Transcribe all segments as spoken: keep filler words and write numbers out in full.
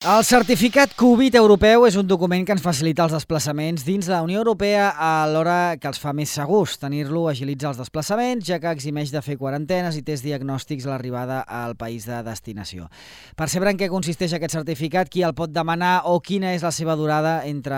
El certificat Covid europeu és un document que ens facilita els desplaçaments dins de la Unió Europea alhora que els fa més segurs. Tenir-lo agilitza els desplaçaments, ja que eximeix de fer quarantenes i tests diagnòstics a l'arribada al país de destinació. Per saber en què consisteix aquest certificat, qui el pot demanar o quina és la seva durada, entre,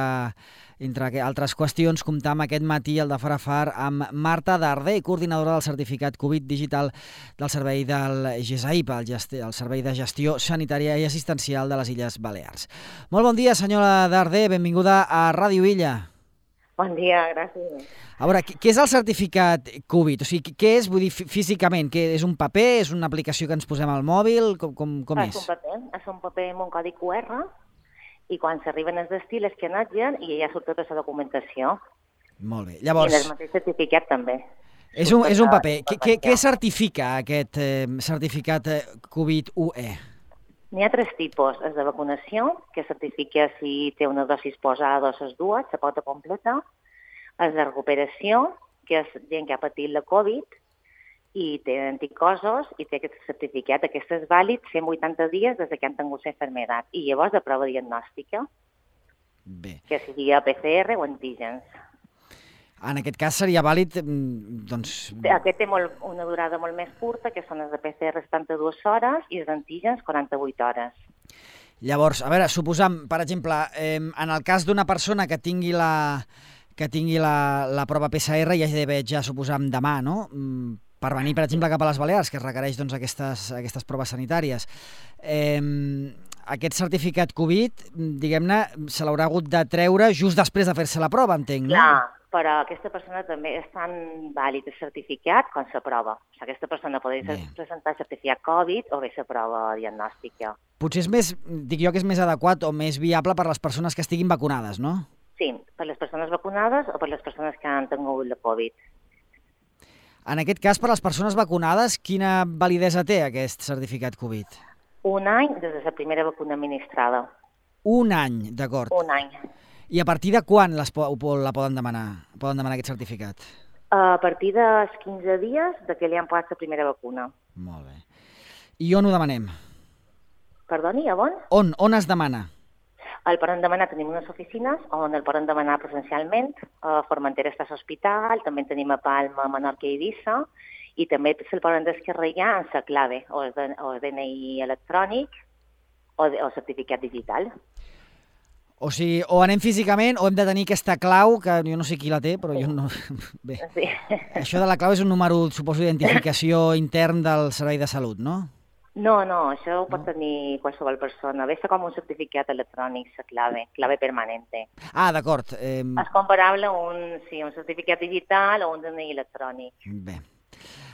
entre altres qüestions, comptam aquest matí al de Far a Far amb Marta Darder, coordinadora del certificat Covid digital del servei del G S A I P, el, gesti el Servei de Gestió Sanitària i Assistencial de les Illes Balears. Molt bon dia, senyora Darder, benvinguda a Ràdio Illa. Bon dia, gràcies. A veure, què és el certificat Covid? O sigui, què és, vull dir, físicament? Què, és un paper? És una aplicació que ens posem al mòbil? Com, com, com és? És un paper, és un paper amb un codi Q R i quan s'arriben als destí l'escanatgen i ja surt tota la documentació. Molt bé. Llavors... I el mateix certificat també. És un, és un paper. Què, què certifica aquest eh, certificat Covid U E? N'hi ha tres tipus. És de vacunació, que certifica si té una dosis posada o les dues, la pota completa. És de recuperació, que és gent que ha patit la Covid i té anticossos i té aquest certificat. Aquest és vàlid cent vuitanta dies des que han tingut la malaltia. I llavors de prova diagnòstica, Bé. que seria P C R o antígens. En aquest cas seria vàlid, doncs... Aquest té molt, una durada molt més curta, que són les de P C R setanta-dues hores i els d'antígens quaranta-vuit hores. Llavors, a veure, suposam, per exemple, eh, en el cas d'una persona que tingui la, que tingui la, la prova P C R, ja hi d'haver, ja suposam, demà, no?, per venir, per exemple, cap a les Balears, que es requereix doncs, aquestes, aquestes proves sanitàries. Eh, aquest certificat Covid, diguem-ne, se l'haurà hagut de treure just després de fer-se la prova, entenc, no? Clar, però aquesta persona també és tan vàlid el certificat com la prova. O sigui, aquesta persona podria presentar certificat Covid o bé la prova diagnòstica. Potser és més, dic jo que és més adequat o més viable per les persones que estiguin vacunades, no? Sí, per les persones vacunades o per les persones que han tingut la Covid. En aquest cas, per les persones vacunades, quina validesa té aquest certificat Covid? Un any des de la primera vacuna administrada. Un any, d'acord. Un any. I a partir de quan les po la poden demanar, poden demanar aquest certificat? A partir dels quinze dies de que li han posat la primera vacuna. Molt bé. I on ho demanem? Perdoni, a on? On? On es demana? El poden demanar, tenim unes oficines on el poden demanar presencialment. A Formentera està l'hospital, també tenim a Palma, Menorca i Eivissa, i també se'l poden descarregar en la clave, o el D N I electrònic, o el certificat digital. O sigui, o anem físicament o hem de tenir aquesta clau, que jo no sé qui la té, però jo no... Bé, sí. Això de la clau és un número, suposo, d'identificació intern del Servei de Salut, no? No, no, això ho pot tenir qualsevol persona. Ve com un certificat electrònic, la clave, clave permanente. Ah, d'acord. Eh... És comparable a un, sí, un certificat digital o un D N I electrònic. Bé.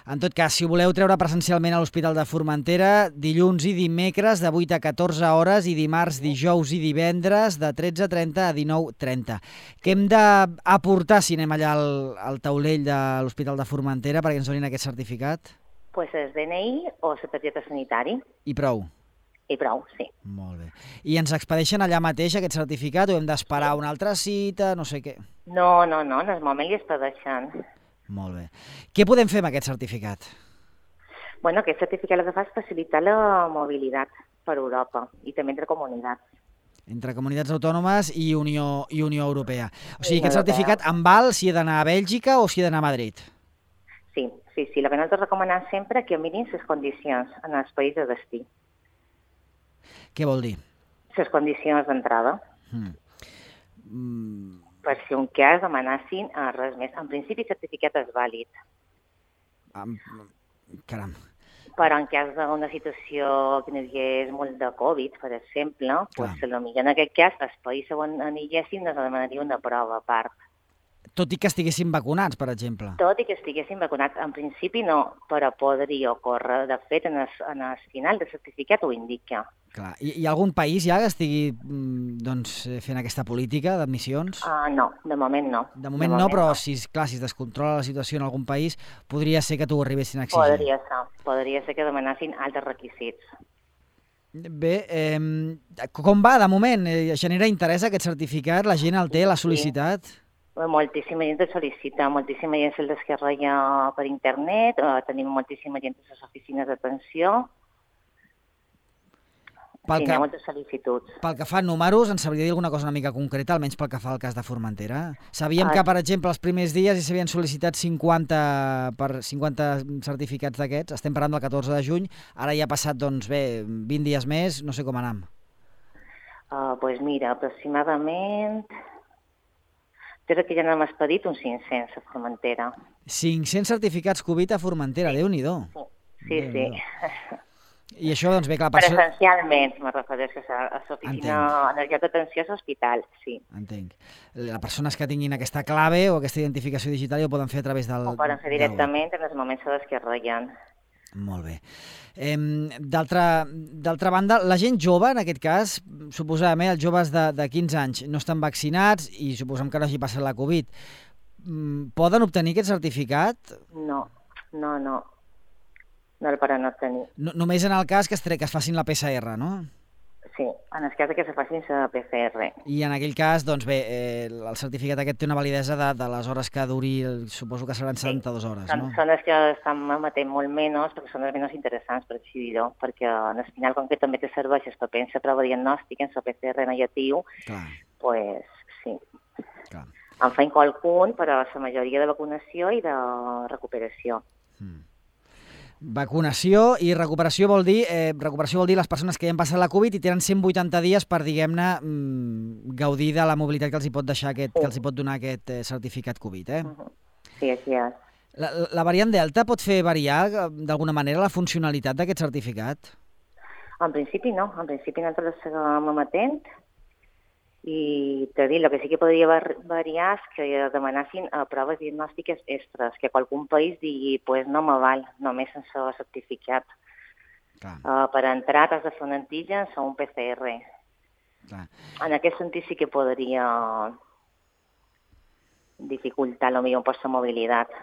En tot cas, si ho voleu treure presencialment a l'Hospital de Formentera, dilluns i dimecres de vuit a catorze hores i dimarts, dijous i divendres de tretze trenta a dinou trenta. Què hem d'aportar si anem allà al, al taulell de l'Hospital de Formentera perquè ens donin aquest certificat? Pues el D N I o la targeta sanitari. I prou? I prou, sí. Molt bé. I ens expedeixen allà mateix aquest certificat o hem d'esperar una altra cita, no sé què? No, no, no, en el moment li expedeixen. Molt bé. Què podem fer amb aquest certificat? Bueno, aquest certificat el que fa és facilitar la mobilitat per Europa i també entre comunitats. Entre comunitats autònomes i Unió, i Unió Europea. O sigui, aquest certificat em val si he d'anar a Bèlgica o si he d'anar a Madrid? Sí, sí, sí. El que nosaltres recomanem sempre que mirin les condicions en els països de destí. Què vol dir? Les condicions d'entrada. Mm. Mm. Per si un cas demanessin res més. En principi, el certificat és vàlid. Um, caram. Però en cas d'una situació que no hi hagués molt de Covid, per exemple, pues, potser en aquest cas, el país on aniguéssim ens demanaria una prova a part. Tot i que estiguessin vacunats, per exemple? Tot i que estiguessin vacunats. En principi no, però podria ocórrer. De fet, en el, en el final del certificat ho indica. Clar. I hi ha algun país ja que estigui doncs, fent aquesta política d'admissions? Uh, no, de moment no. De moment, de moment no, però no. Si, clar, si es descontrola la situació en algun país, podria ser que t'ho arribessin a exigir. Podria ser. Podria ser que demanessin altres requisits. Bé, eh, com va de moment? Genera interès aquest certificat? La gent el té, l'ha sol·licitat? Sí. Moltíssima gent el sol·licita, moltíssima gent se'l descarrega per internet, eh, tenim moltíssima gent a les oficines d'atenció. Sí, hi ha moltes sol·licituds. Pel que fa a números, ens sabria dir alguna cosa una mica concreta, almenys pel que fa al cas de Formentera? Sabíem que, per exemple, els primers dies hi s'havien sol·licitat cinquanta, per cinquanta certificats d'aquests, estem parlant del catorze de juny, ara ja ha passat, doncs bé, vint dies més, no sé com anam. Doncs uh, pues mira, aproximadament... Crec que ja n'hem expedit uns cinc-cents a Formentera. cinc-cents certificats Covid a Formentera, sí. Déu-n'hi-do. Sí, sí. sí. I això, doncs bé, clar... Presencialment, me refereixo a l'oficina energètica d'atenció a l'hospital, sí. Entenc. Les persones que tinguin aquesta clave o aquesta identificació digital ja ho poden fer a través del... Ho poden fer directament en els moments en què reien. Molt bé. Eh, D'altra banda, la gent jove, en aquest cas, suposàvem, els joves de, de quinze anys no estan vaccinats i suposem que no hagi passat la Covid, poden obtenir aquest certificat? No, no, no. No el poden obtenir. No, només en el cas que es, que es facin la P C R, no? Sí, en el cas que se facin la P C R. I en aquell cas, doncs bé, eh, el certificat aquest té una validesa de, de les hores que duri, suposo que seran setanta-dues hores, sí. no? Són les que estan emetent molt menys, perquè són les menys interessants, per així dir-ho, perquè en el final, com que també te serveix el paper en la prova diagnòstica, en la P C R negatiu, doncs pues, sí. Clar. En feim qualcun per a la majoria de vacunació i de recuperació. Mm. Vacunació i recuperació vol dir eh, recuperació vol dir les persones que ja han passat la Covid i tenen cent vuitanta dies per, diguem-ne, mm, gaudir de la mobilitat que els hi pot deixar aquest, sí. que els hi pot donar aquest eh, certificat Covid, eh? Uh-huh. Sí, així és. La, la variant Delta pot fer variar d'alguna manera la funcionalitat d'aquest certificat? En principi no, en principi nosaltres seguim emetent i t'he dit, el que sí que podria variar és que demanassin uh, proves diagnòstiques extres, que qualcun país digui, pues no me val, només sense el certificat. Uh, per entrar t'has de fer un antígens o un P C R. Clar. En aquest sentit sí que podria dificultar potser un poc la mobilitat.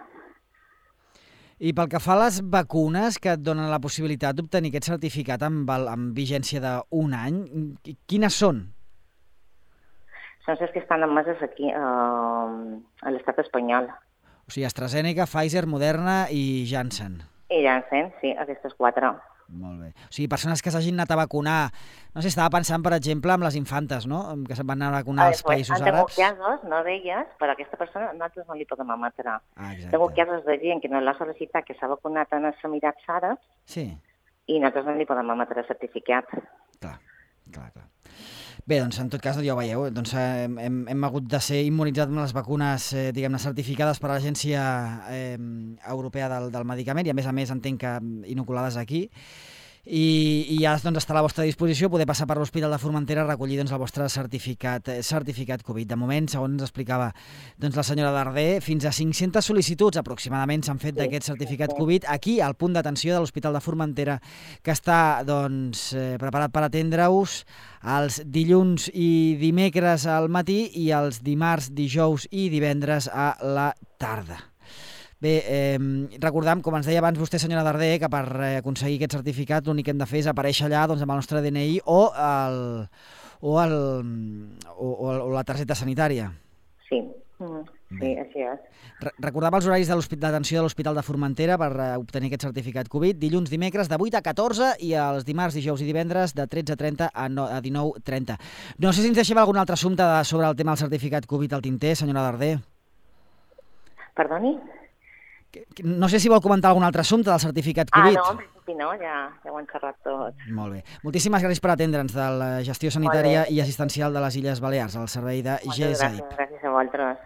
I pel que fa a les vacunes que et donen la possibilitat d'obtenir aquest certificat amb, amb vigència d'un any, quines són? Són les que estan emeses aquí, eh, a l'estat espanyol. O sigui, AstraZeneca, Pfizer, Moderna i Janssen. I Janssen, sí, aquestes quatre. Molt bé. O sigui, persones que s'hagin anat a vacunar... No sé, estava pensant, per exemple, en les infantes, no?, que se'n van anar a vacunar als països àrabs. Tengo casos, no d'elles, però a aquesta persona nosaltres no li podem emetre. Ah, Tengo casos de gent que no l'ha sol·licitat, que s'ha vacunat en els Emirats Àrabs, sí. I nosaltres no li podem emetre el certificat. Clar, clar, clar. Bé, doncs en tot cas, ja ho veieu, doncs hem, hem, hem hagut de ser immunitzats amb les vacunes, eh, diguem-ne, certificades per l'Agència eh, Europea del, del Medicament i, a més a més, entenc que inoculades aquí. I, i ja doncs, està a la vostra disposició poder passar per l'Hospital de Formentera a recollir doncs, el vostre certificat, certificat Covid. De moment, segons ens explicava doncs, la senyora Darder, fins a cinc-centes sol·licituds aproximadament s'han fet d'aquest certificat Covid aquí, al punt d'atenció de l'Hospital de Formentera, que està doncs, eh, preparat per atendre-us els dilluns i dimecres al matí i els dimarts, dijous i divendres a la tarda. Bé, eh, recordam, com ens deia abans vostè, senyora Darder, que per eh, aconseguir aquest certificat l'únic que hem de fer és aparèixer allà doncs, amb el nostre D N I o, el, o, el, o, o la targeta sanitària. Sí, mm, sí, així és. Re recordava els horaris d'atenció de l'Hospital de Formentera per eh, obtenir aquest certificat Covid. Dilluns, dimecres, de vuit a catorze i els dimarts, dijous i divendres de tretze trenta a, no, a dinou trenta. No sé si ens deixem algun altre assumpte de, sobre el tema del certificat Covid al tinter, senyora Darder. Perdoni? No sé si vol comentar algun altre assumpte del certificat Covid. Ah, no, en principi no, ja, ja ho hem xerrat tot. Molt bé. Moltíssimes gràcies per atendre'ns de la gestió sanitària i assistencial de les Illes Balears, al servei de G S A I P. Gràcies a vosaltres.